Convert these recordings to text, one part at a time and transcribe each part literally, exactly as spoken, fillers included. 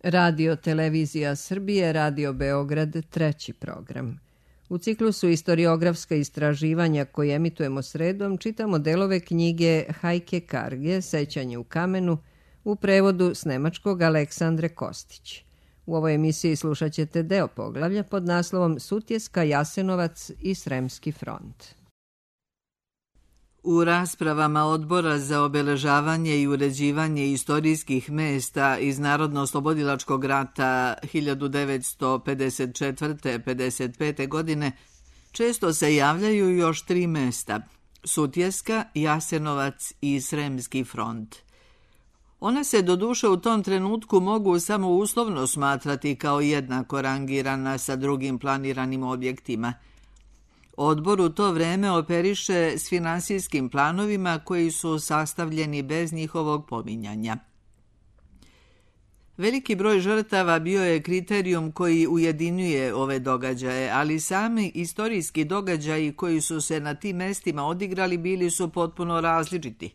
Radio Televizija Srbije, Radio Beograd, treći program. U ciklusu Istoriografska istraživanja koje emitujemo sredom čitamo delove knjige Hajke Karge, Sećanje u kamenu, u prevodu s nemačkog Aleksandre Kostić. U ovoj emisiji slušat ćete deo poglavlja pod naslovom Sutjeska, Jasenovac i Sremski front. U raspravama Odbora za obeležavanje i uređivanje istorijskih mesta iz Narodno-oslobodilačkog rata hiljadu devetsto pedeset četvrte do pedeset pete. godine često se javljaju još tri mesta: Sutjeska, Jasenovac i Sremski front. One se doduše u tom trenutku mogu samo uslovno smatrati kao jednako rangirana sa drugim planiranim objektima. Odbor u to vreme operiše s finansijskim planovima koji su sastavljeni bez njihovog pominjanja. Veliki broj žrtava bio je kriterijum koji ujedinjuje ove događaje, ali sami istorijski događaji koji su se na tim mestima odigrali bili su potpuno različiti.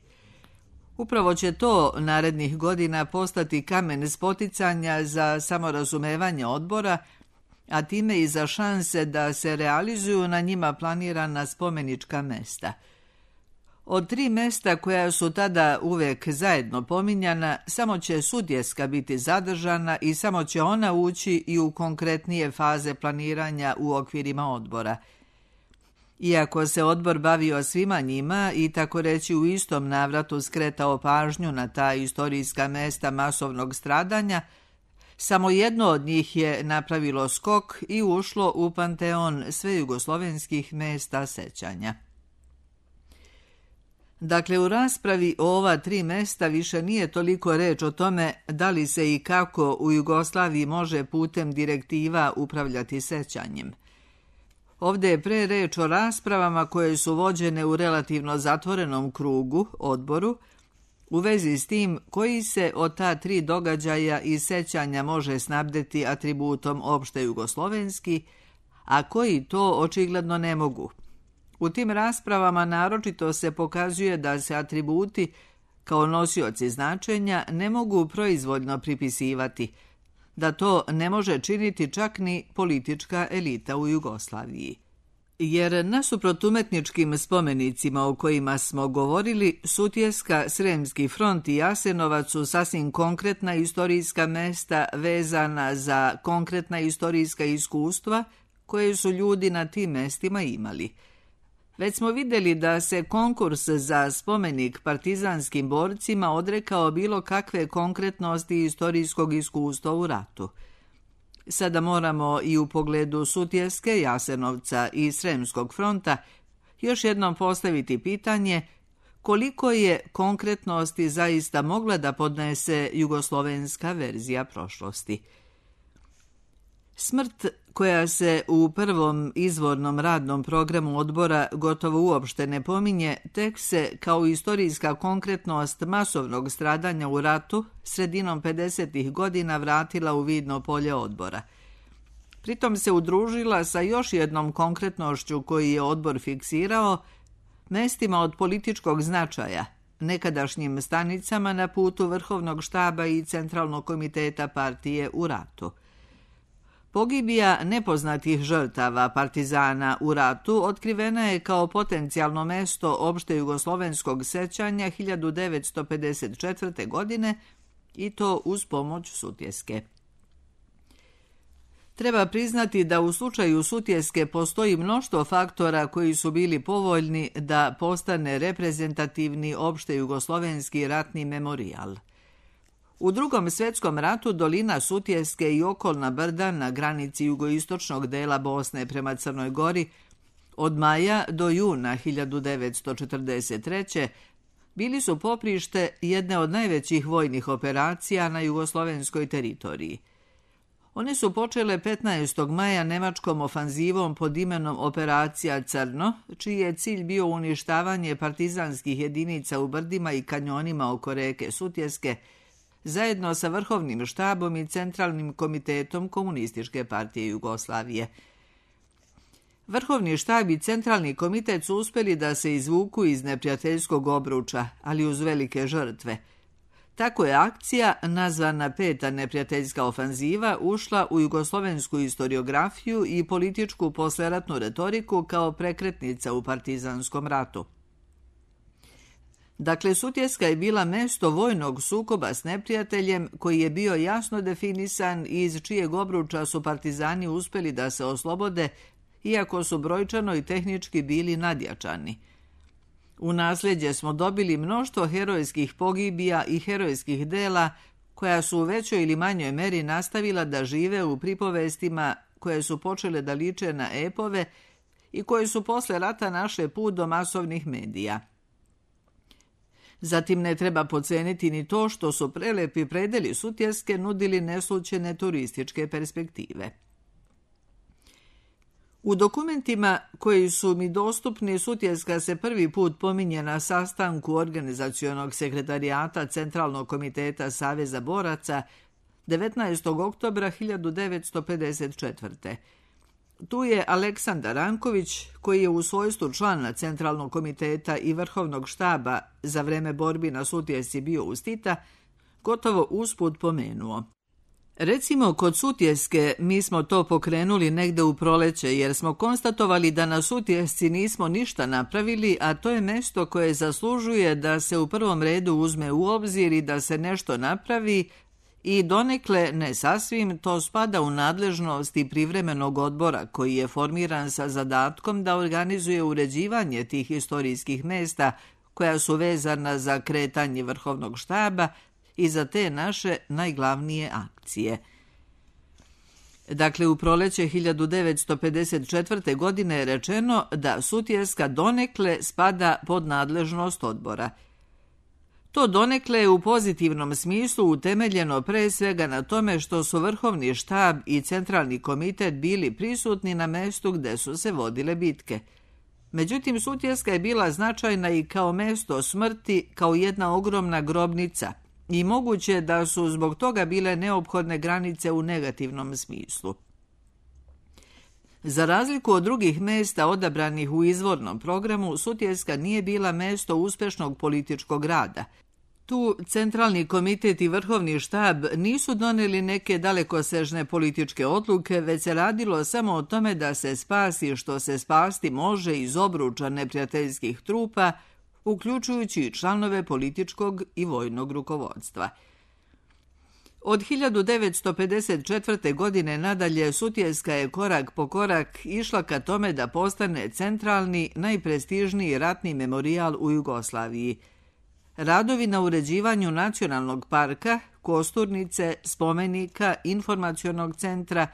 Upravo će to narednih godina postati kamen spoticanja za samorazumevanje odbora, a time i za šanse da se realizuju na njima planirana spomenička mesta. Od tri mesta koja su tada uvek zajedno pominjana, samo će Sutjeska biti zadržana i samo će ona ući i u konkretnije faze planiranja u okvirima odbora. Iako se odbor bavio svima njima i tako reći u istom navratu skretao pažnju na ta istorijska mesta masovnog stradanja, samo jedno od njih je napravilo skok i ušlo u panteon svejugoslovenskih mesta sećanja. Dakle, u raspravi o ova tri mesta više nije toliko reč o tome da li se i kako u Jugoslaviji može putem direktiva upravljati sećanjem. Ovdje je pre reč o raspravama koje su vođene u relativno zatvorenom krugu, odboru, u vezi s tim koji se od ta tri događaja i sećanja može snabdeti atributom opšte jugoslovenski, a koji to očigledno ne mogu. U tim raspravama naročito se pokazuje da se atributi, kao nosioci značenja, ne mogu proizvoljno pripisivati, da to ne može činiti čak ni politička elita u Jugoslaviji. Jer nasuprot umetničkim spomenicima o kojima smo govorili, Sutjeska, Sremski front i Jasenovac su sasvim konkretna istorijska mesta vezana za konkretna istorijska iskustva koje su ljudi na tim mestima imali. Već smo vidjeli da se konkurs za spomenik partizanskim borcima odrekao bilo kakve konkretnosti istorijskog iskustva u ratu. Sada moramo i u pogledu Sutjeske, Jasenovca i Sremskog fronta još jednom postaviti pitanje koliko je konkretnosti zaista mogla da podnese jugoslovenska verzija prošlosti. Smrt, koja se u prvom izvornom radnom programu odbora gotovo uopšte ne pominje, tek se kao istorijska konkretnost masovnog stradanja u ratu sredinom pedesetih godina vratila u vidno polje odbora. Pritom se udružila sa još jednom konkretnošću koji je odbor fiksirao, mestima od političkog značaja, nekadašnjim stanicama na putu Vrhovnog štaba i Centralnog komiteta partije u ratu. Pogibija nepoznatih žrtava partizana u ratu otkrivena je kao potencijalno mesto opšte jugoslovenskog sećanja hiljadu devetsto pedeset četvrte. godine i to uz pomoć Sutjeske. Treba priznati da u slučaju Sutjeske postoji mnoštvo faktora koji su bili povoljni da postane reprezentativni opšte jugoslovenski ratni memorijal. U Drugom svjetskom ratu dolina Sutjeske i okolna brda na granici jugoistočnog dela Bosne prema Crnoj Gori od maja do juna hiljadu devetsto četrdeset treće. bili su poprište jedne od najvećih vojnih operacija na jugoslovenskoj teritoriji. One su počele petnaestog maja nemačkom ofanzivom pod imenom Operacija Crno, čiji je cilj bio uništavanje partizanskih jedinica u brdima i kanjonima oko reke Sutjeske, zajedno sa Vrhovnim štabom i Centralnim komitetom Komunističke partije Jugoslavije. Vrhovni štab i Centralni komitet su uspjeli da se izvuku iz neprijateljskog obruča, ali uz velike žrtve. Tako je akcija, nazvana Peta neprijateljska ofanziva, ušla u jugoslovensku historiografiju i političku posleratnu retoriku kao prekretnica u partizanskom ratu. Dakle, Sutjeska je bila mesto vojnog sukoba s neprijateljem koji je bio jasno definisan i iz čijeg obruča su partizani uspeli da se oslobode, iako su brojčano i tehnički bili nadjačani. U nasljeđe smo dobili mnoštvo herojskih pogibija i herojskih dela koja su u većoj ili manjoj meri nastavila da žive u pripovestima koje su počele da liče na epove i koje su posle rata našle put do masovnih medija. Zatim ne treba podceniti ni to što su prelepi predeli Sutjeske nudili neslućene turističke perspektive. U dokumentima koji su mi dostupni, Sutjeska se prvi put pominje na sastanku organizacionog sekretarijata Centralnog komiteta Saveza boraca devetnaestog oktobra hiljadu devetsto pedeset četvrte. Tu je Aleksandar Ranković, koji je u svojstvu člana Centralnog komiteta i Vrhovnog štaba za vreme borbi na Sutjesci bio uz Tita, gotovo usput pomenuo. Recimo, kod Sutjeske mi smo to pokrenuli negde u proleće, jer smo konstatovali da na Sutjesci nismo ništa napravili, a to je mesto koje zaslužuje da se u prvom redu uzme u obzir i da se nešto napravi, i donekle, ne sasvim, to spada u nadležnost i privremenog odbora koji je formiran sa zadatkom da organizuje uređivanje tih historijskih mesta koja su vezana za kretanje Vrhovnog štaba i za te naše najglavnije akcije. Dakle, u proleće hiljadu devetsto pedeset četvrte. godine je rečeno da Sutjeska donekle spada pod nadležnost odbora. To donekle je u pozitivnom smislu utemeljeno pre svega na tome što su Vrhovni štab i Centralni komitet bili prisutni na mestu gde su se vodile bitke. Međutim, Sutjeska je bila značajna i kao mesto smrti, kao jedna ogromna grobnica, i moguće da su zbog toga bile neophodne granice u negativnom smislu. Za razliku od drugih mesta odabranih u izvornom programu, Sutjeska nije bila mesto uspešnog političkog rada. Tu Centralni komitet i Vrhovni štab nisu doneli neke dalekosežne političke odluke, već se radilo samo o tome da se spasi što se spasti može iz obruča neprijateljskih trupa, uključujući i članove političkog i vojnog rukovodstva. Od hiljadu devetsto pedeset četvrte. godine nadalje Sutjeska je korak po korak išla ka tome da postane centralni, najprestižniji ratni memorijal u Jugoslaviji. Radovi na uređivanju nacionalnog parka, kosturnice, spomenika, informacionog centra,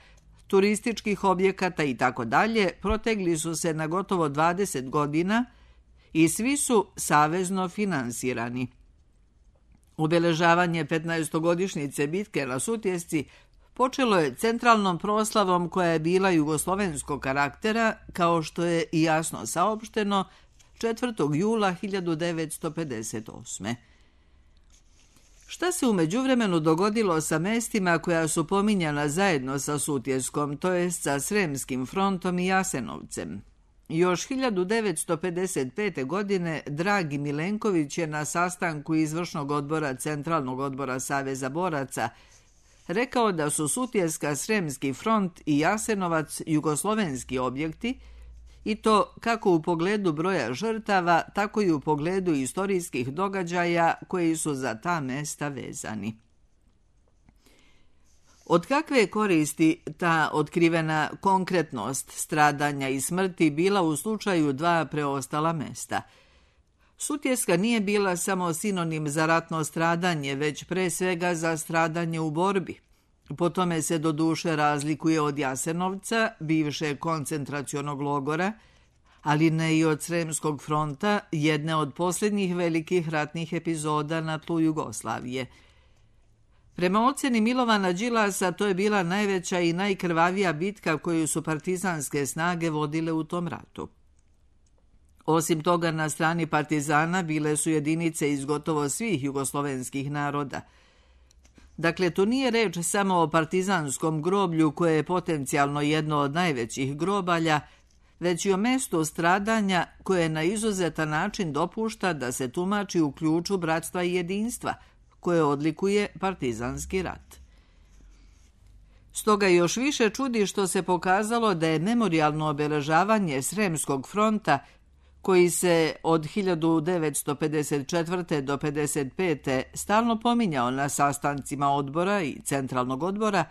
turističkih objekata i tako dalje protegli su se na gotovo dvadeset godina i svi su savezno finansirani. Obeležavanje petnaestogodišnjice bitke na Sutjesci počelo je centralnom proslavom koja je bila jugoslovenskog karaktera, kao što je i jasno saopšteno četvrtog jula hiljadu devetsto pedeset osme. Šta se u međuvremenu dogodilo sa mestima koja su pominjana zajedno sa Sutjeskom, to jest sa Sremskim frontom i Jasenovcem? Još hiljadu devetsto pedeset pete. godine Dragi Milenković je na sastanku izvršnog odbora Centralnog odbora Saveza boraca rekao da su Sutjeska, Sremski front i Jasenovac jugoslovenski objekti, i to kako u pogledu broja žrtava, tako i u pogledu istorijskih događaja koji su za ta mesta vezani. Od kakve je koristi ta otkrivena konkretnost stradanja i smrti bila u slučaju dva preostala mesta? Sutjeska nije bila samo sinonim za ratno stradanje, već pre svega za stradanje u borbi. Po tome se doduše razlikuje od Jasenovca, bivše koncentracionog logora, ali ne i od Sremskog fronta, jedne od posljednjih velikih ratnih epizoda na tlu Jugoslavije. Prema oceni Milovana Đilasa, to je bila najveća i najkrvavija bitka koju su partizanske snage vodile u tom ratu. Osim toga, na strani partizana bile su jedinice iz gotovo svih jugoslovenskih naroda. Dakle, tu nije reč samo o partizanskom groblju koje je potencijalno jedno od najvećih grobalja, već i o mestu stradanja koje na izuzetan način dopušta da se tumači u ključu bratstva i jedinstva, koje odlikuje partizanski rat. Stoga još više čudi što se pokazalo da je memorijalno obeležavanje Sremskog fronta, koji se od hiljadu devetsto pedeset četvrte. do pedeset pete. stalno pominjao na sastancima odbora i centralnog odbora,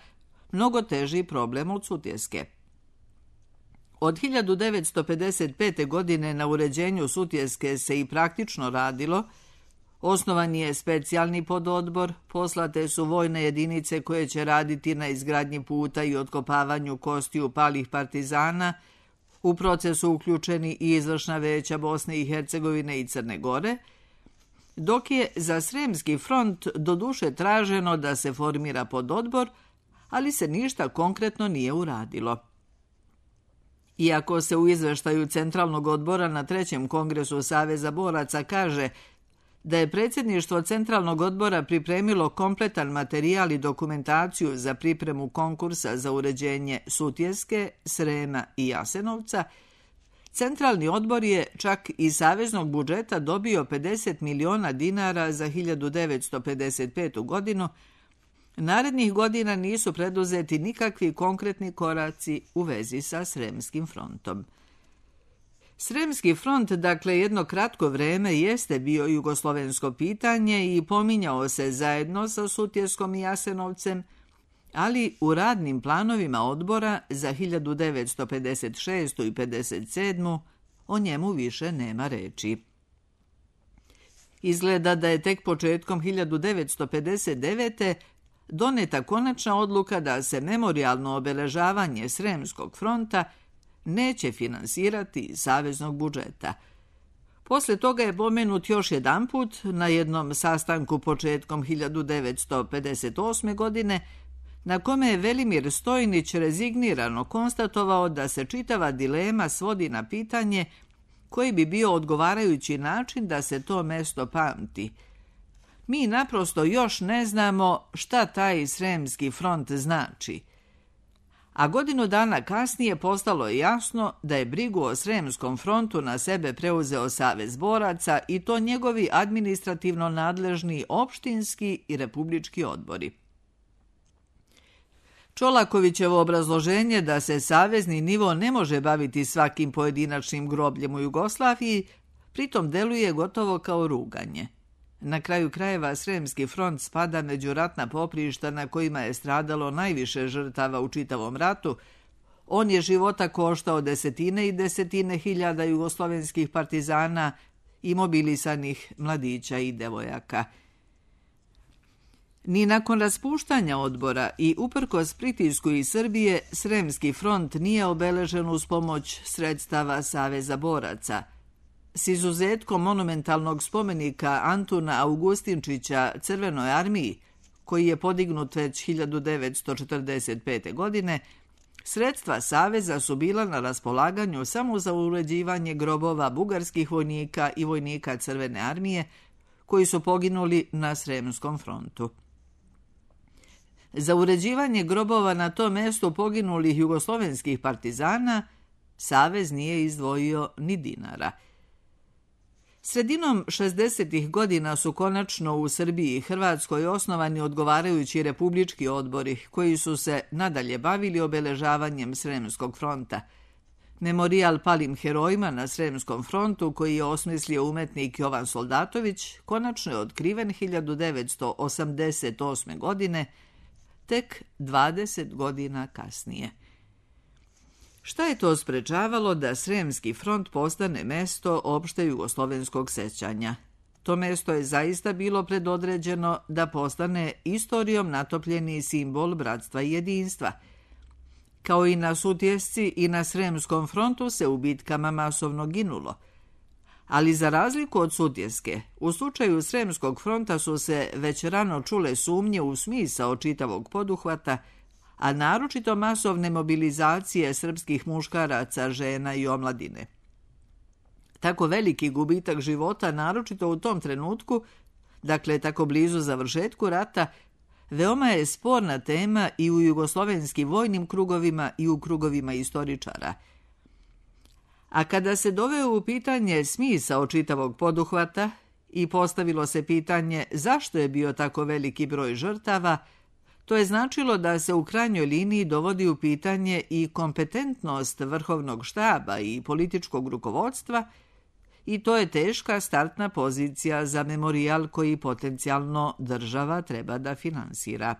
mnogo teži problem od Sutjeske. Od hiljadu devetsto pedeset pete. godine na uređenju Sutjeske se i praktično radilo. Osnovan je specijalni pododbor, poslate su vojne jedinice koje će raditi na izgradnji puta i otkopavanju kostiju palih partizana, u procesu uključeni i izvršna veća Bosne i Hercegovine i Crne Gore, dok je za Sremski front doduše traženo da se formira pododbor, ali se ništa konkretno nije uradilo. Iako se u izveštaju Centralnog odbora na trećem kongresu Saveza boraca kaže da je predsjedništvo Centralnog odbora pripremilo kompletan materijal i dokumentaciju za pripremu konkursa za uređenje Sutjeske, Srema i Jasenovca, Centralni odbor je čak iz saveznog budžeta dobio pedeset miliona dinara za hiljadu devetsto pedeset petu. godinu. Narednih godina nisu preduzeti nikakvi konkretni koraci u vezi sa Sremskim frontom. Sremski front, dakle, jedno kratko vreme jeste bio jugoslovensko pitanje i pominjao se zajedno sa Sutjeskom i Jasenovcem, ali u radnim planovima odbora za hiljadu devetsto pedeset šestu. i pedeset sedmu. o njemu više nema reči. Izgleda da je tek početkom hiljadu devetsto pedeset devete. doneta konačna odluka da se memorijalno obeležavanje Sremskog fronta neće finansirati iz saveznog budžeta. Posle toga je pomenut još jedanput na jednom sastanku početkom hiljadu devetsto pedeset osme. godine, na kome je Velimir Stojnić rezignirano konstatovao da se čitava dilema svodi na pitanje koji bi bio odgovarajući način da se to mesto pamti. Mi naprosto još ne znamo šta taj Sremski front znači. A godinu dana kasnije postalo je jasno da je brigu o Sremskom frontu na sebe preuzeo Savez boraca i to njegovi administrativno nadležni opštinski i republički odbori. Čolakovićevo obrazloženje da se savezni nivo ne može baviti svakim pojedinačnim grobljem u Jugoslaviji pritom deluje gotovo kao ruganje. Na kraju krajeva Sremski front spada među ratna poprišta na kojima je stradalo najviše žrtava u čitavom ratu. On je života koštao desetine i desetine hiljada jugoslovenskih partizana i mobilisanih mladića i devojaka. Ni nakon raspuštanja odbora i uprkos pritisku iz Srbije, Sremski front nije obeležen uz pomoć sredstava Saveza boraca. S izuzetkom monumentalnog spomenika Antuna Augustinčića Crvenoj armiji, koji je podignut već hiljadu devetsto četrdeset pete. godine, sredstva Saveza su bila na raspolaganju samo za uređivanje grobova bugarskih vojnika i vojnika Crvene armije, koji su poginuli na Sremskom frontu. Za uređivanje grobova na tom mestu poginulih jugoslovenskih partizana Savez nije izdvojio ni dinara. Sredinom šezdesetih godina su konačno u Srbiji i Hrvatskoj osnovani odgovarajući republički odbori koji su se nadalje bavili obeležavanjem Sremskog fronta. Memorijal palim herojima na Sremskom frontu, koji je osmislio umetnik Jovan Soldatović, konačno je otkriven hiljadu devetsto osamdeset osme. godine, tek dvadeset godina kasnije. Šta je to sprečavalo da Sremski front postane mesto opšte jugoslovenskog sećanja? To mesto je zaista bilo predodređeno da postane istorijom natopljeni simbol bratstva i jedinstva. Kao i na Sutjesci i na Sremskom frontu se u bitkama masovno ginulo. Ali za razliku od Sutjeske, u slučaju Sremskog fronta su se već rano čule sumnje u smisao čitavog poduhvata, a naročito masovne mobilizacije srpskih muškaraca, žena i omladine. Tako veliki gubitak života, naročito u tom trenutku, dakle tako blizu završetku rata, veoma je sporna tema i u jugoslovenskim vojnim krugovima i u krugovima istoričara. A kada se doveo u pitanje smisao čitavog poduhvata i postavilo se pitanje zašto je bio tako veliki broj žrtava, to je značilo da se u krajnjoj liniji dovodi u pitanje i kompetentnost vrhovnog štaba i političkog rukovodstva, i to je teška startna pozicija za memorijal koji potencijalno država treba da finansira.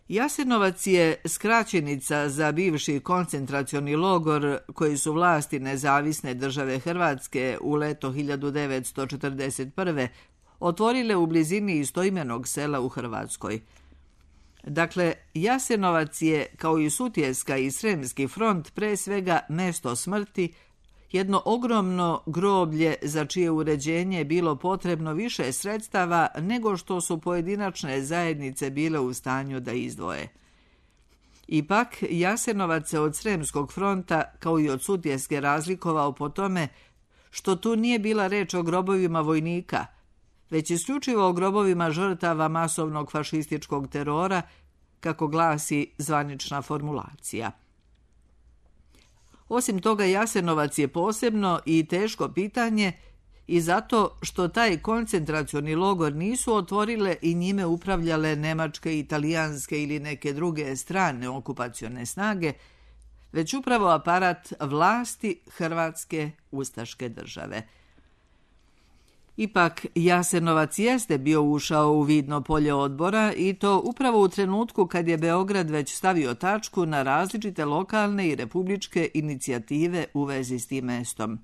Jasenovac je skraćenica za bivši koncentracioni logor koji su vlasti Nezavisne države Hrvatske u leto hiljadu devetsto četrdeset prve otvorile u blizini istoimenog sela u Hrvatskoj. Dakle, Jasenovac je, kao i Sutjeska i Sremski front, pre svega mesto smrti, jedno ogromno groblje za čije uređenje je bilo potrebno više sredstava nego što su pojedinačne zajednice bile u stanju da izdvoje. Ipak, Jasenovac se od Sremskog fronta, kao i od Sutjeske, razlikovao po tome što tu nije bila reč o grobovima vojnika, već isključivo o grobovima žrtava masovnog fašističkog terora, kako glasi zvanična formulacija. Osim toga, Jasenovac je posebno i teško pitanje i zato što taj koncentracioni logor nisu otvorile i njime upravljale nemačke, italijanske ili neke druge strane okupacione snage, već upravo aparat vlasti Hrvatske ustaške države. Ipak, Jasenovac jeste bio ušao u vidno polje odbora i to upravo u trenutku kad je Beograd već stavio tačku na različite lokalne i republičke inicijative u vezi s tim mestom.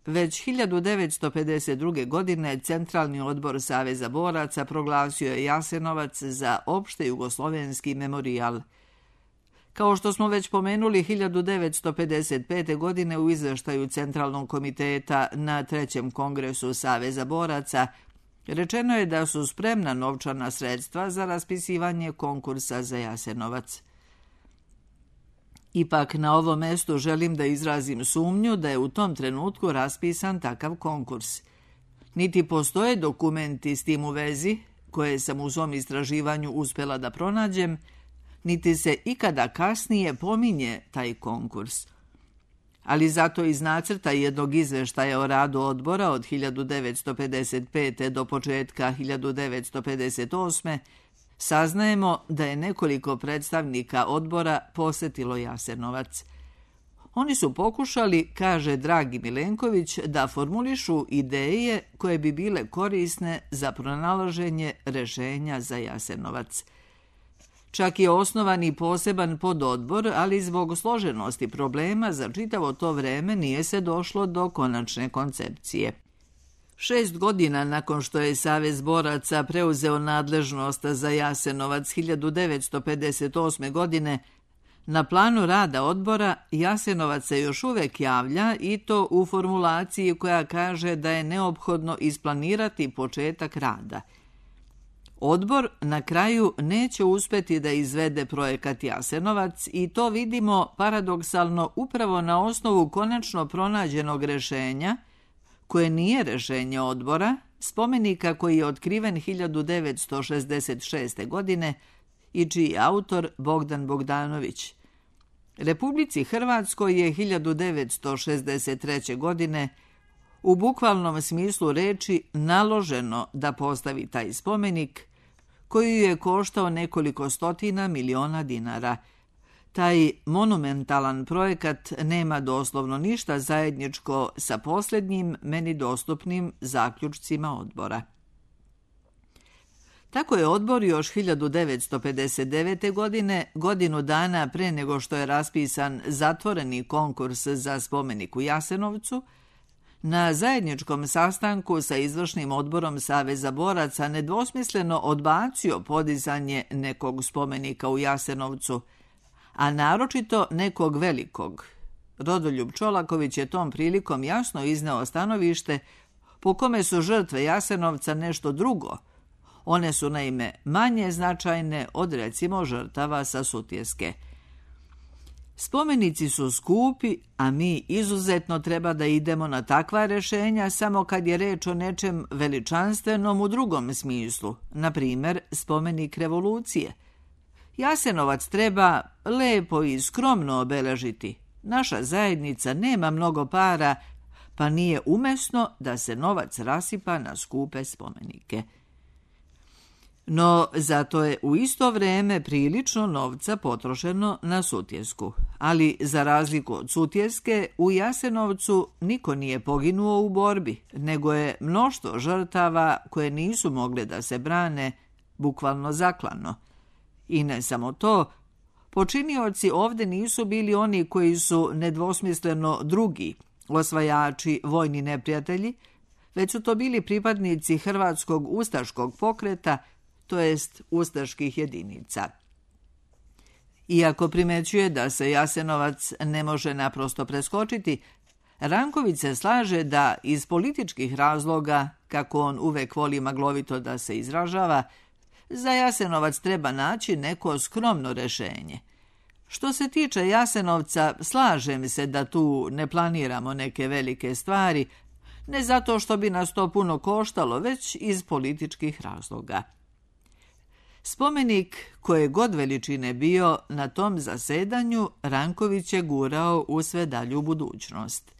Već hiljadu devetsto pedeset druge. godine Centralni odbor Saveza boraca proglasio je Jasenovac za opšte jugoslovenski memorijal. Kao što smo već pomenuli, hiljadu devetsto pedeset pete. godine u izveštaju Centralnog komiteta na trećem kongresu Saveza boraca rečeno je da su spremna novčana sredstva za raspisivanje konkursa za Jasenovac. Ipak na ovom mestu želim da izrazim sumnju da je u tom trenutku raspisan takav konkurs. Niti postoje dokumenti s tim u vezi, koje sam u svom istraživanju uspela da pronađem, niti se ikada kasnije pominje taj konkurs. Ali zato iz nacrta jednog izveštaja o radu odbora od hiljadu devetsto pedeset pete. do početka hiljadu devetsto pedeset osme. saznajemo da je nekoliko predstavnika odbora posetilo Jasenovac. Oni su pokušali, kaže Dragi Milenković, da formulišu ideje koje bi bile korisne za pronalaženje rešenja za Jasenovac. Čak je osnovan i poseban pododbor, ali zbog složenosti problema za čitavo to vreme nije se došlo do konačne koncepcije. Šest godina nakon što je Savez boraca preuzeo nadležnost za Jasenovac hiljadu devetsto pedeset osme. godine, na planu rada odbora Jasenovac se još uvek javlja i to u formulaciji koja kaže da je neophodno isplanirati početak rada. Odbor na kraju neće uspeti da izvede projekat Jasenovac i to vidimo paradoksalno upravo na osnovu konačno pronađenog rešenja, koje nije rešenje odbora, spomenika koji je otkriven hiljadu devetsto šezdeset šeste. godine i čiji je autor Bogdan Bogdanović. Republici Hrvatskoj je hiljadu devetsto šezdeset treće. godine u bukvalnom smislu reči naloženo da postavi taj spomenik, koji je koštao nekoliko stotina miliona dinara. Taj monumentalan projekat nema doslovno ništa zajedničko sa posljednjim meni dostupnim zaključcima odbora. Tako je odbor još hiljadu devetsto pedeset devete. godine, godinu dana pre nego što je raspisan zatvoreni konkurs za spomenik u Jasenovcu, na zajedničkom sastanku sa izvršnim odborom Saveza boraca nedvosmisleno odbacio podizanje nekog spomenika u Jasenovcu, a naročito nekog velikog. Rodoljub Čolaković je tom prilikom jasno izneo stanovište po kome su žrtve Jasenovca nešto drugo. One su naime manje značajne od recimo žrtava sa Sutjeske. Spomenici su skupi, a mi izuzetno treba da idemo na takva rešenja samo kad je reč o nečem veličanstvenom u drugom smislu, na primer spomenik revolucije. Jasenovac treba lepo i skromno obeležiti. Naša zajednica nema mnogo para, pa nije umesno da se novac rasipa na skupe spomenike. No, zato je u isto vrijeme prilično novca potrošeno na Sutjesku. Ali, za razliku od Sutjeske, u Jasenovcu niko nije poginuo u borbi, nego je mnoštvo žrtava koje nisu mogle da se brane, bukvalno zaklano. I ne samo to, počinioci ovdje nisu bili oni koji su nedvosmisleno drugi, osvajači, vojni neprijatelji, već su to bili pripadnici hrvatskog ustaškog pokreta, to jest ustaških jedinica. Iako primećuje da se Jasenovac ne može naprosto preskočiti, Ranković se slaže da iz političkih razloga, kako on uvek voli maglovito da se izražava, za Jasenovac treba naći neko skromno rešenje. Što se tiče Jasenovca, slažem se da tu ne planiramo neke velike stvari, ne zato što bi nas to puno koštalo, već iz političkih razloga. Spomenik, koje god veličine bio, na tom zasedanju Ranković je gurao u sve dalju budućnost.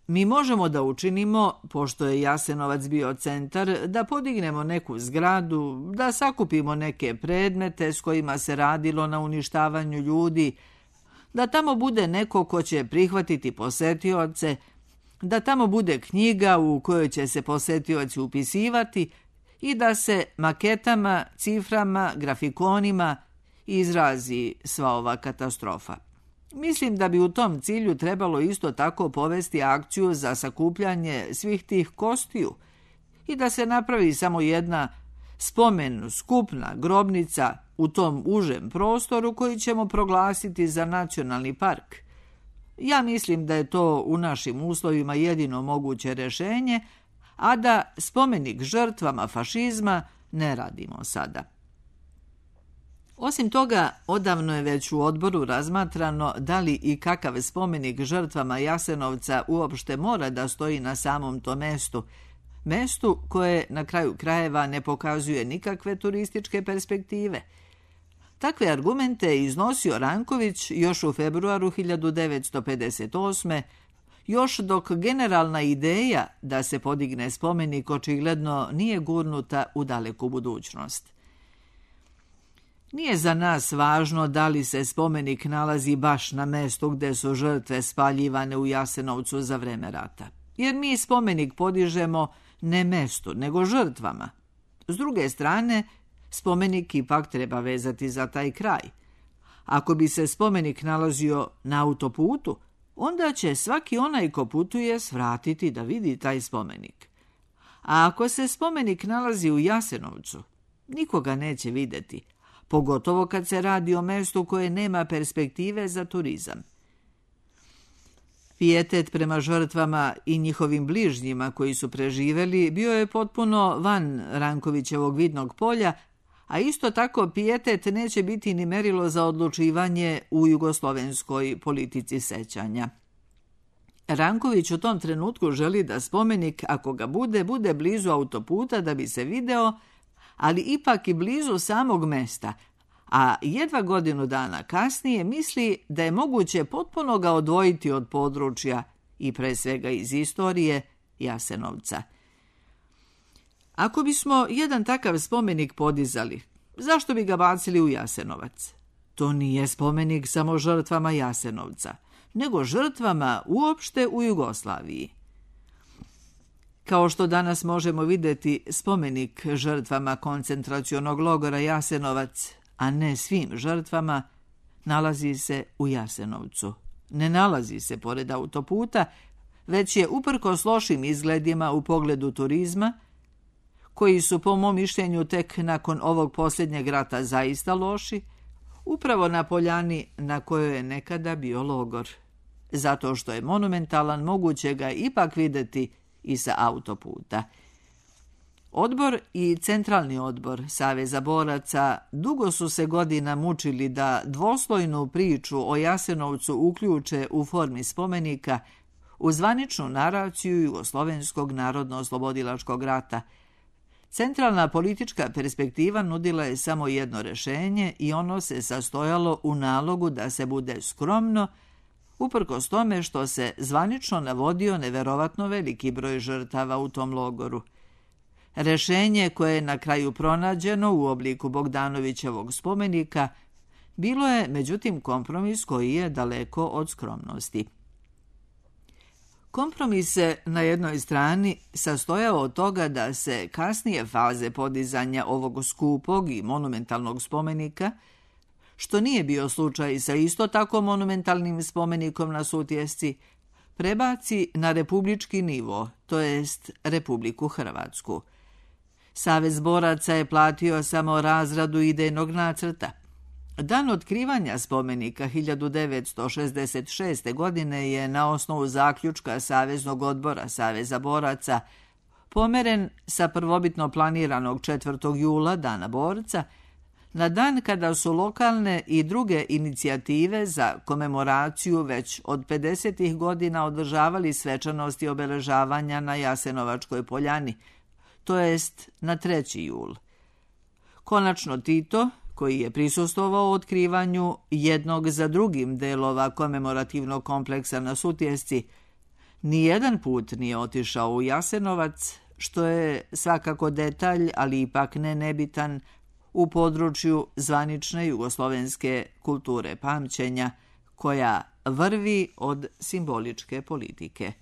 Mi možemo da učinimo, pošto je Jasenovac bio centar, da podignemo neku zgradu, da sakupimo neke predmete s kojima se radilo na uništavanju ljudi, da tamo bude neko ko će prihvatiti posetioce, da tamo bude knjiga u kojoj će se posetioci upisivati i da se maketama, ciframa, grafikonima izrazi sva ova katastrofa. Mislim da bi u tom cilju trebalo isto tako povesti akciju za sakupljanje svih tih kostiju i da se napravi samo jedna spomen skupna grobnica u tom užem prostoru koji ćemo proglasiti za nacionalni park. Ja mislim da je to u našim uslovima jedino moguće rešenje, a da spomenik žrtvama fašizma ne radimo sada. Osim toga, odavno je već u odboru razmatrano da li i kakav spomenik žrtvama Jasenovca uopšte mora da stoji na samom tom mestu, mestu koje na kraju krajeva ne pokazuje nikakve turističke perspektive. Takve argumente je iznosio Ranković još u februaru hiljadu devetsto pedeset osme, još dok generalna ideja da se podigne spomenik očigledno nije gurnuta u daleku budućnost. Nije za nas važno da li se spomenik nalazi baš na mestu gde su žrtve spaljivane u Jasenovcu za vreme rata, jer mi spomenik podižemo ne mestu, nego žrtvama. S druge strane, spomenik ipak treba vezati za taj kraj. Ako bi se spomenik nalazio na autoputu, onda će svaki onaj ko putuje svratiti da vidi taj spomenik. A ako se spomenik nalazi u Jasenovcu, nikoga neće videti, pogotovo kad se radi o mestu koje nema perspektive za turizam. Pijetet prema žrtvama i njihovim bližnjima koji su preživeli bio je potpuno van Rankovićevog vidnog polja, a isto tako pijetet neće biti ni merilo za odlučivanje u jugoslovenskoj politici sećanja. Ranković u tom trenutku želi da spomenik, ako ga bude, bude blizu autoputa da bi se video, ali ipak i blizu samog mesta, a jedva godinu dana kasnije misli da je moguće potpuno ga odvojiti od područja i pre svega iz istorije Jasenovca. Ako bismo jedan takav spomenik podizali, zašto bi ga bacili u Jasenovac? To nije spomenik samo žrtvama Jasenovca, nego žrtvama uopšte u Jugoslaviji. Kao što danas možemo vidjeti spomenik žrtvama koncentracionog logora Jasenovac, a ne svim žrtvama, nalazi se u Jasenovcu. Ne nalazi se pored autoputa, već je uprkos lošim izgledima u pogledu turizma, koji su po mom mišljenju tek nakon ovog posljednjeg rata zaista loši, upravo na poljani na kojoj je nekada bio logor. Zato što je monumentalan, moguće ga ipak vidjeti i sa autoputa. Odbor i Centralni odbor Saveza boraca dugo su se godina mučili da dvoslojnu priču o Jasenovcu uključe u formi spomenika u zvaničnu naraciju Jugoslovenskog narodno-oslobodilačkog rata. Centralna politička perspektiva nudila je samo jedno rešenje i ono se sastojalo u nalogu da se bude skromno, uprkos tome što se zvanično navodio neverovatno veliki broj žrtava u tom logoru. Rešenje koje je na kraju pronađeno u obliku Bogdanovićevog spomenika bilo je, međutim, kompromis koji je daleko od skromnosti. Kompromis se na jednoj strani sastojao od toga da se kasnije faze podizanja ovog skupog i monumentalnog spomenika, što nije bio slučaj sa isto tako monumentalnim spomenikom na Sutjesci, prebaci na republički nivo, to jest Republiku Hrvatsku. Savez boraca je platio samo razradu idejnog nacrta. Dan otkrivanja spomenika hiljadu devetsto šezdeset šeste. godine je na osnovu zaključka Saveznog odbora Saveza boraca pomeren sa prvobitno planiranog četvrtog jula, Dana borca, na dan kada su lokalne i druge inicijative za komemoraciju već od pedesetih godina održavali svečanosti obeležavanja na Jasenovačkoj poljani, to jest na treći jul. Konačno Tito, koji je prisustvovao otkrivanju jednog za drugim delova komemorativnog kompleksa na Sutjesci, nijedan put nije otišao u Jasenovac, što je svakako detalj, ali ipak ne nebitan, u području zvanične jugoslovenske kulture pamćenja, koja vrvi od simboličke politike.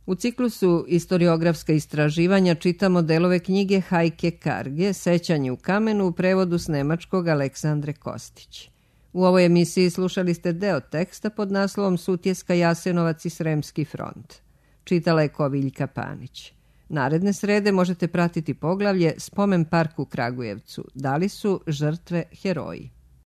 U ciklusu Istoriografska istraživanja čitamo delove knjige Hajke Karge, Sećanje u kamenu, u prevodu s nemačkog Aleksandre Kostić. U ovoj emisiji slušali ste deo teksta pod naslovom Sutjeska, Jasenovac i Sremski front. Čitala je Koviljka Panić. Naredne srede možete pratiti poglavlje Spomen park u Kragujevcu. Da li su žrtve heroji?